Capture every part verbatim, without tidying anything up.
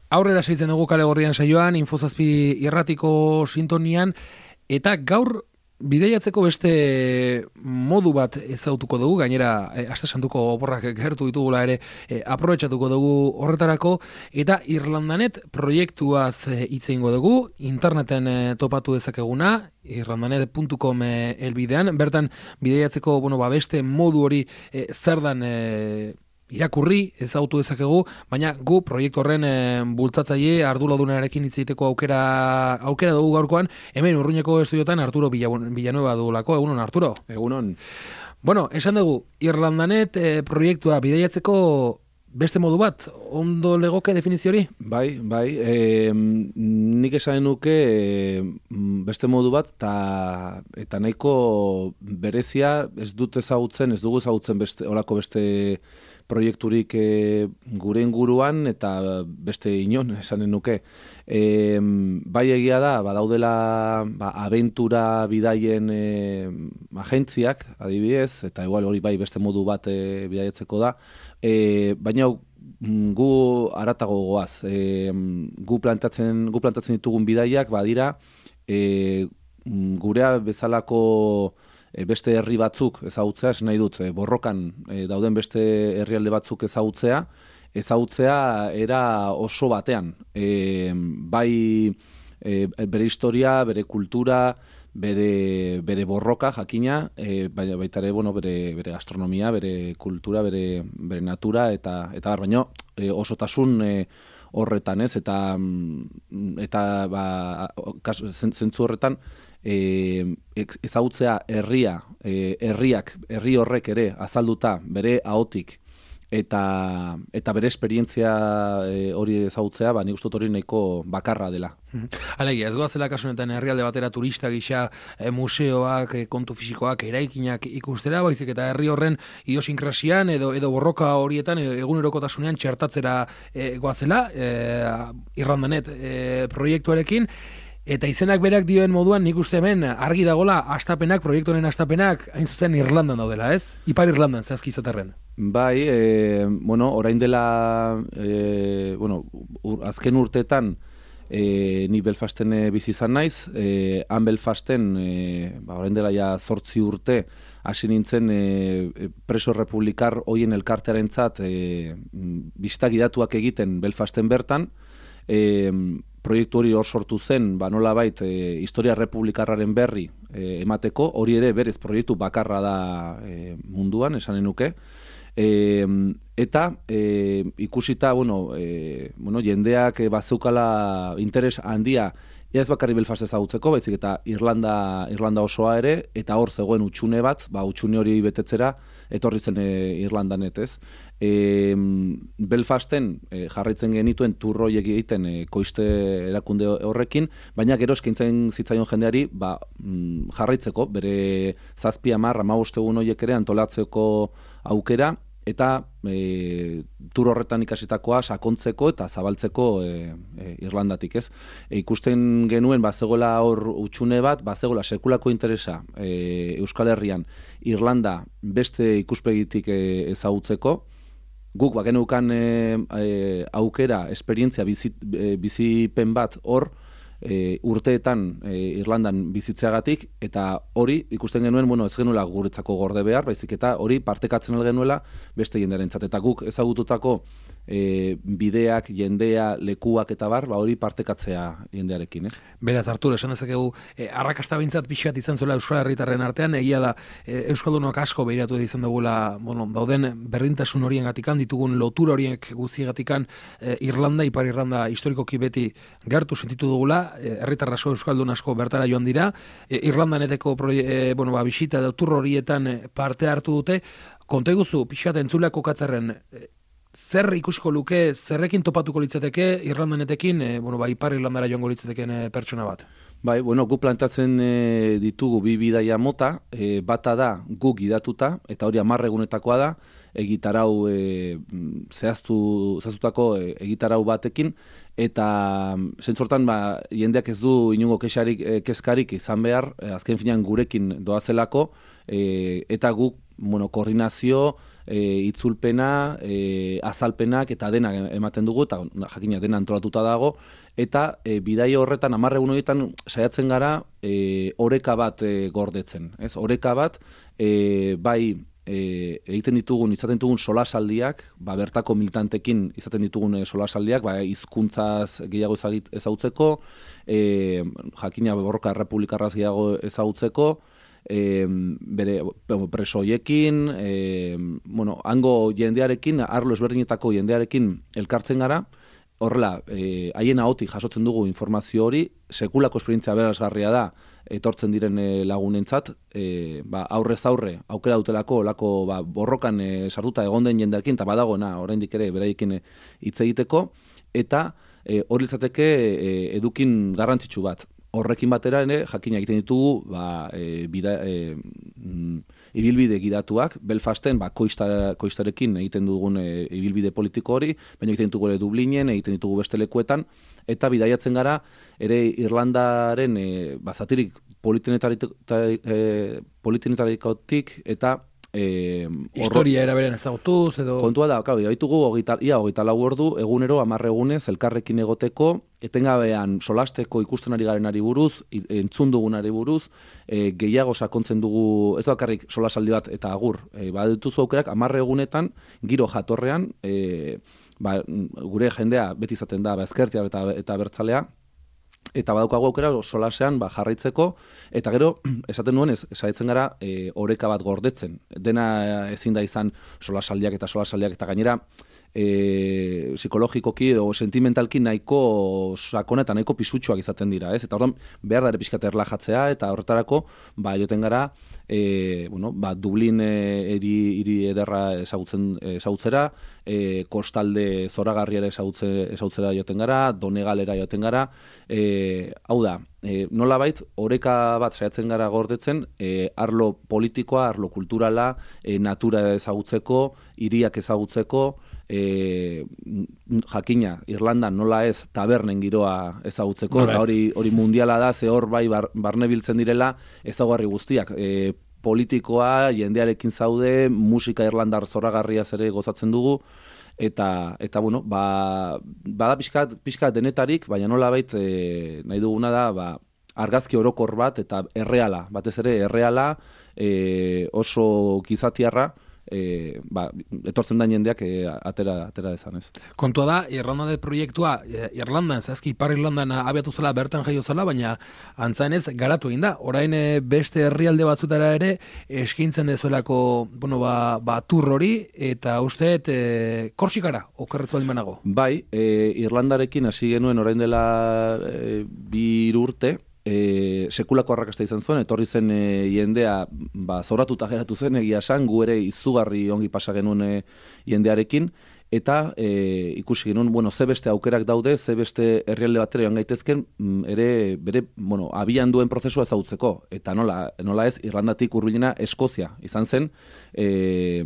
Aurrera segitzen dugu Kale Gorrian saioan, Infozazpi irratiko sintonian, eta gaur bideiatzeko beste modu bat ezautuko dugu, gainera e, aste santuko oporrak gertu ditugula ere e, aprobetxatuko dugu horretarako, eta Irlandanet proiektuaz hitz egingo dugu, interneten e, topatu dezakeguna, irlandanet puntu com e, elbidean, bertan bideiatzeko bueno, ba, beste modu hori e, zer dan e, irakurri ezautu dezakegu, baina gu proiektu horren e, bultzatzaile arduradunarekin hitz egiteko aukera aukera dugu gaurkoan, hemen Urruñako estudiotan Arturo Villanueva dugulako. Egunon, Arturo. Egunon. Bueno, esan dugu, Irlandanet e, proiektua bideiatzeko beste modu bat, ondo legoke definizio hori? Bai, bai, e, nik esan nuke e, beste modu bat, ta, eta nahiko berezia ez dut ezagutzen, ez dugu ezagutzen beste, olako beste proiekturik e, gure inguruan eta beste inon esanen nuke. E, bai egia da, badaudela ba, abentura bidaien e, agentziak, adibidez, eta igual hori bai beste modu bat e, bidaietzeko da, e, baina gu haratago goaz. E, gu, plantatzen, gu plantatzen ditugun bidaiak badira e, gurea bezalako E, beste herri batzuk ezagutzea, esan nahi dut, e, borrokan e, dauden beste herrialde batzuk ezagutzea, ezagutzea era oso batean. E, bai e, bere historia, bere kultura, bere, bere borroka jakina, e, baina baita ere, bueno, bere, bere gastronomia, bere kultura, bere, bere natura, eta eta bar, baino e, osotasun e, horretan, ez? Eta, eta ba, zentzu horretan, E, ezagutzea herria, e, herriak, herri horrek ere azalduta bere ahotik eta eta bere esperientzia e, hori ezagutzea, ba, nik uste dut hori nahiko bakarra dela. Alegia, ez goazela kasu honetan herrialde batera turista gisa e, museoak, e, kontu fisikoak, eraikinak ikustera, baizik eta herri horren idiosinkrasian edo edo borroka horietan e, egunerokotasunean txertatzera e, goazela, e, Irlandanet e, proiektuarekin. Eta izenak berak dioen moduan nik uste hemen argi dagola astapenak, proiektuaren astapenak, hain zuzen Irlandan daudela, ez? Ipar Irlandan, zehazki izaterren. Bai, e, bueno, orain dela, e, bueno, ur, azken urteetan e, ni Belfasten e, bizi izan naiz, e, han Belfasten, e, ba, orain dela ja zortzi urte, hasi nintzen e, preso republikar hoien elkartearentzat e, bisita gidatuak egiten Belfasten bertan, e, proiektu hori hor sortu zen, ba nolabait e, historia republikarraren berri e, emateko, hori ere berez proiektu bakarra da e, munduan, esanen nuke. E, eta e, ikusita, bueno, e, bueno, jendeak e, bazeukala interes handia, ez bakarri Belfast ezagutzeko, baizik eta Irlanda, Irlanda osoa ere, eta hor zegoen utxune bat, ba utxune hori betetzera, etorri zen e, Irlandanet, ez? E, Belfasten e, jarraitzen genituen turroiek egiten e, koiste erakunde horrekin, baina gero eskaintzen zitzaion jendeari ba, mm, jarraitzeko, bere zazpi hamar hamabost egun horiek ere antolatzeko aukera, eta e, tur horretan ikasitakoa sakontzeko eta zabaltzeko e, e, Irlandatik, ez? E, ikusten genuen bazegoela hor utxune bat, bazegoela sekulako interesa e, Euskal Herrian Irlanda beste ikuspegitik e, ezagutzeko. Guk bageneukan e, e, aukera, esperientzia, bizi, e, bizipen bat hor, e, urteetan e, Irlandan bizitzeagatik, eta hori ikusten genuen, bueno, ez genuela guretzako gorde behar, baizik eta hori partekatzen genuela beste jendearentzat. Eta guk ezagututako e, bideak, jendea, lekuak eta bar, ba hori partekatzea jendearekin, ez? Beraz, Arturo, esan dezakegu, e, arrakasta bintzat pixat izan zuela Euskal Herritarren artean, egia da, e, Euskaldunok asko behiratu izan dugula, bueno, dauden berdintasun horien gatikan, ditugun lotura horiek guztiegatikan, e, Irlanda, Ipar Irlanda historikoki beti gertu sentitu dugula, e, herritar asko, Euskaldun asko bertara joan dira, e, Irlandaneteko e, bueno, ba, bisita edo tur horietan parte hartu dute, konta iguzu, pixat entzuleak kokatzerren, e, zer ikusiko luke, zerrekin topatuko litzateke Irlandanetekin, e, bueno, ba, Ipar Irlandara joango litzateken e, pertsona bat? Bai, bueno, gu plantatzen e, ditugu bi bidaia mota, e, bata da gu gidatuta, eta hori hamar egunetakoa da, egitarau e, zehaztu, zehaztutako e, egitarau batekin, eta zentzortan ba, jendeak ez du inungo kexarik, e, kezkarik izan behar, e, azken finean gurekin doazelako, e, eta guk bueno, koordinazio e, itzulpena, e, azalpenak eta dena ematen dugu, eta jakina dena antolatuta dago, eta e, bidai horretan, hamar egun horietan saiatzen gara e, oreka bat e, gordetzen. Ez? Oreka bat, e, bai, E, egiten ditugun, izaten ditugun solasaldiak, ba, bertako militantekin izaten ditugun e, solasaldiak, ba, hizkuntzaz gehiago ezagutzeko, e, jakina borroka errepublikarraz gehiago ezagutzeko, e, bere preso hoiekin, e, bueno, hango jendearekin, arlo ezberdinetako jendearekin elkartzen gara, horrela, e, haien ahotik jasotzen dugu informazio hori, sekulako esperientzia berazgarria da, etortzen diren e, lagunentzat, e, ba, aurrez aurre, aukera dutelako, olako ba, borrokan e, sartuta egon den jendearekin, eta badagoena, oraindik ere, beraiekin hitz egiteko, eta e, hori izateke e, edukin garrantzitsu bat. Horrekin batera ere, jakina egiten ditugu, ba, e, bida, e, mm, ibilbide gidatuak, Belfasten, ba, koista, koistarekin egiten dugun e, ibilbide politiko hori, baina egiten ditugu ere Dublinen, egiten ditugu beste lekuetan, eta bidaiatzen gara, ere Irlandaren e, ba, zatirik politenetarikotik eta E, historia eraberen ezagutuz edo... Kontua da, kau, ditugu ia hogeita lau ordu, egunero, hamar egunez, elkarrekin egoteko, etengabean solasteko ikusten ari garenari buruz, entzun dugunari buruz, e, gehiago sakontzen dugu, ez bakarrik solasaldi bat eta agur, e, badituzu aukerak, hamar egunetan, giro jatorrean, e, ba, gure jendea beti izaten da, ba, ezkertia eta, eta bertzalea, eta badaukagu aukera solasean ba, jarraitzeko, eta gero, esaten nuen, ez, saiatzen gara e, oreka bat gordetzen. Dena ezin da izan solasaldiak eta solasaldiak, eta gainera, e, psikologikoki edo sentimentalki nahiko sakona eta nahiko pisutsuak izaten dira, ez? Eta orduan, behar da ere pixkat erlajatzea, eta horretarako, ba, joten gara, e, bueno, ba, Dublin eri, iri ederra ezagutzen, ezagutzera, e, kostalde zoragarriara ezagutzera joten gara, Donegalera joten gara, e, hau da, e, nolabait, oreka bat saiatzen gara gordetzen, e, arlo politikoa, arlo kulturala, e, natura ezagutzeko, hiriak ezagutzeko, E, jakina, Irlandan nola ez tabernen giroa ezagutzeko, eta hori, hori mundiala da, ze hor bai bar, barne biltzen direla ezaguarri guztiak. E, politikoa, jendearekin zaude, musika irlandar zoragarriaz ere gozatzen dugu, eta, eta bueno, ba, bada pixkat, pixkat denetarik, baina nola bait, e, nahi duguna da, ba, argazki orokor bat, eta erreala, batez ere erreala, e, oso gizatiarra, E, ba, etortzen da jendeak e, atera, atera dezan ez. Kontua da, Irlanda proiektua, e, Irlandan, zehazki Ipar Irlandan abiatu zela, bertan jaio zela, baina antzaenez garatu egin da. Orain e, beste herrialde batzutara ere eskintzen dezuelako, bueno, ba, ba tur hori, eta uste e, Korsikara, okerretz baldin banago. Bai, e, Irlandarekin hasi genuen orain dela e, bi urte, E, sekulako arrakasta izan zuen, etorri zen e, jendea ba, zoratuta geratu zen, egia esan, gu ere izugarri ongi pasa genuen e, jendearekin, eta e, ikusi genuen, bueno, ze beste aukerak daude, ze beste herrialde batera joan gaitezken, m, ere, bere, bueno, abian duen prozesua ezagutzeko, eta nola, nola ez, Irlandatik hurbilena Eskozia izan zen, e,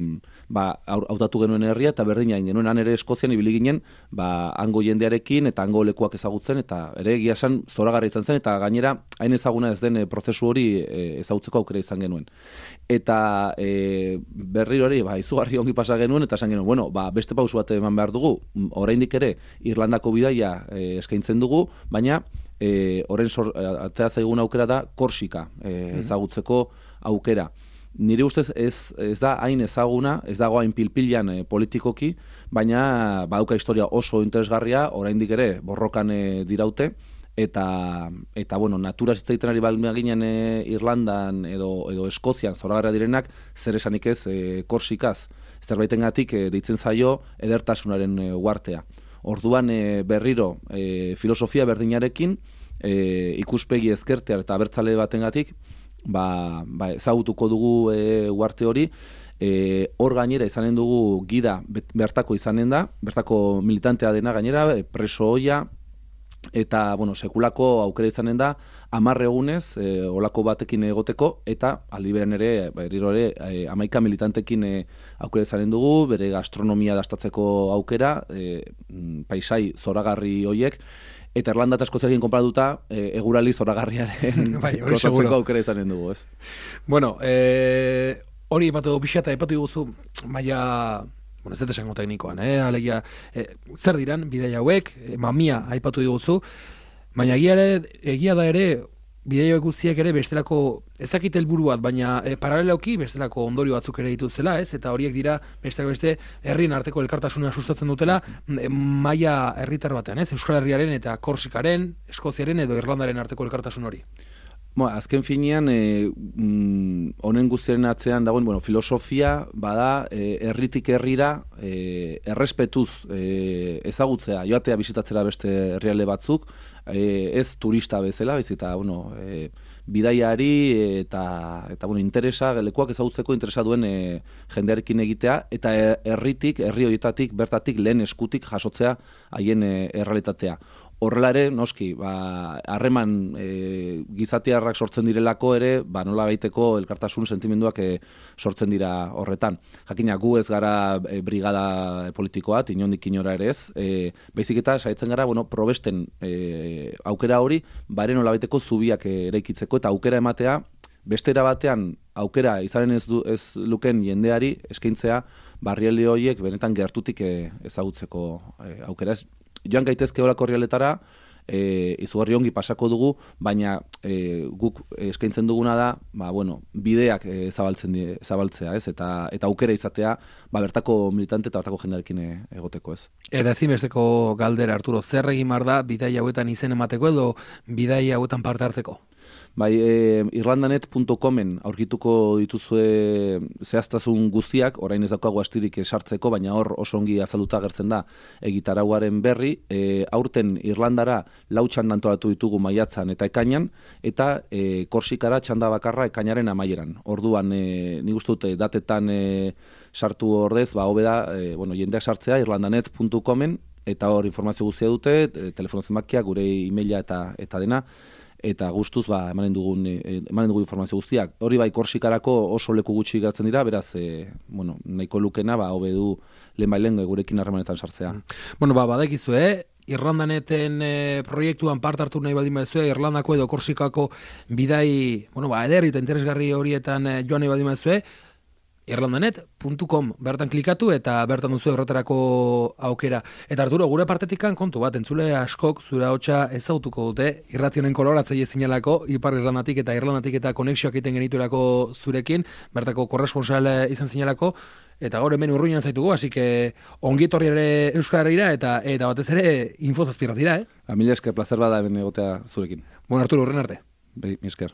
ba, hautatu genuen herria, eta berdina genuen han ere Eskozian ibili ginen, ba, hango jendearekin, eta hango lekuak ezagutzen, eta ere egia esan zoragarri izan zen, eta gainera, hain ezaguna ez den prozesu hori e, ezagutzeko aukera izan genuen. Eta e, berri hori, ba, izugarri ongi pasa genuen, eta esan genuen, bueno, ba, beste pausu bat eman behar dugu, oraindik ere Irlandako bidaia e, eskaintzen dugu, baina e, orain sor, atea zaigun aukera da Korsika e, ezagutzeko aukera. Nire ustez ez, ez da hain ezaguna, ez dago hain pilpilan e, politikoki, baina badauka historia oso interesgarria, oraindik ere borrokan e, diraute, eta, eta bueno, natura zitzaiten ari balmea ginen e, Irlandan edo, edo Eskozian zoragarria direnak, zer esanik ez e, Korsikaz, zerbaitengatik e, deitzen zaio edertasunaren e, uartea. Orduan e, berriro e, filosofia berdinarekin, e, ikuspegi ezkertea eta abertzale batengatik, ba, ba, ezagutuko dugu e, uarte hori, e, hor gainera izanen dugu gida bertako izanen da, bertako militantea dena gainera, e, preso hoia, eta, bueno, sekulako aukera izanen da, hamar egunez, e, olako batekin egoteko, eta aldi beren ere, berriro ere, e, hamaika militantekin e, aukera izanen dugu, bere gastronomia dastatzeko aukera, e, paisai zoragarri hoiek, eta Irlanda eta Eskoziarekin konparatuta, e, egurali zoragarriaren bai, gozatzeko aukera izanen dugu, ez? Bueno, e, hori epatu pixata, epatu guzu, maia, bueno, ez dut esango teknikoan, eh? Alegia, eh, zer diran, bidei hauek, eh, mamia aipatu diguzu, baina egia, ere, egia da ere, bidei hauek guztiak ere bestelako, ezakit helburu bat, baina e, paraleloki bestelako ondorio batzuk ere dituzela, ez? Eta horiek dira bestelako beste herrien arteko elkartasuna sustatzen dutela e, maila herritar batean, ez? Euskal Herriaren eta Korsikaren, Eskoziaren edo Irlandaren arteko elkartasun hori. Bo, azken finean, e, mm, honen guztiaren atzean dagoen, bueno, filosofia bada e, herritik herrira e, errespetuz e, ezagutzea, joatea bisitatzera beste herrialde batzuk, e, ez turista bezala, bez eta, bueno, e, bidaiari eta, eta bueno, interesa, lekuak ezagutzeko interesa duen e, jendearekin egitea, eta herritik, herri horietatik, bertatik, lehen eskutik jasotzea haien e, errealitatea. Horrela ere, noski, ba, harreman e, gizatiarrak sortzen direlako ere, ba, nola baiteko elkartasun sentimenduak e, sortzen dira horretan. Jakina, gu ez gara e, brigada politikoa, inondik inora ere ez, e, baizik eta saiatzen gara, bueno, probesten e, aukera hori, bare nola baiteko zubiak eraikitzeko, eta aukera ematea, bestera batean, aukera izanen ez, du, ez luken jendeari eskaintzea, barrialde horiek benetan gertutik e, ezagutzeko e, aukera ez. Joan gaitezke horako herrialdetara, e, izugarri ongi pasako dugu, baina e, guk eskaintzen duguna da, ba, bueno, bideak e, zabaltzen die, zabaltzea, ez? Eta, eta aukera izatea, ba, bertako militante eta bertako jendearekin e, egoteko, ez? Eta ezinbesteko galdera, Arturo, zer egin behar da bidai hauetan izen emateko edo bidai hauetan parte hartzeko? Bai, e, irlandanet puntu comen aurkituko dituzue zehaztasun guztiak, orain ez daukagu astirik sartzeko, baina hor oso ongi azalduta agertzen da egitarauaren berri. E, aurten Irlandara lau txanda antolatu ditugu maiatzan eta ekainan, eta e, Korsikara txanda bakarra ekainaren amaieran. Orduan, e, nik uste dute datetan e, sartu ordez, ba, hobe da, e, bueno, jendeak sartzea irlandanet puntu comen, eta hor informazio guztia dute, e, telefono zenbakia, gure e-maila eta, eta dena, eta gustuz ba emanen dugun emanen dugu informazio guztiak. Hori bai Korsikarako oso leku gutxi geratzen dira, beraz e, bueno, nahiko lukena ba hobe du lehenbailen gurekin harremanetan sartzea. Bueno, ba badakizu, eh? Irlandaneten e, proiektuan parte hartu nahi baldin baduzue, Irlandako edo Korsikako bidai, bueno, ba eder eta interesgarri horietan e, joan nahi baldin baduzue, irlandanet puntu com bertan klikatu eta bertan duzu horretarako aukera. Eta Arturo, gure partetikan kontu bat, entzule askok zure hotsa ezagutuko dute, irrationen koloratzaile zinelako, Ipar Irlandatik eta Irlandatik eta konexioak egiten genituelako zurekin, bertako korresponsal izan zinelako, eta gaur hemen urruinan zaitugu, hasi que ongi etorri ere Euskal Herrira eta eta batez ere info zazpirratira, eh? A mila esker, placer bada hemen egotea zurekin. Bueno, Arturo, urren arte. Bai, mi esker.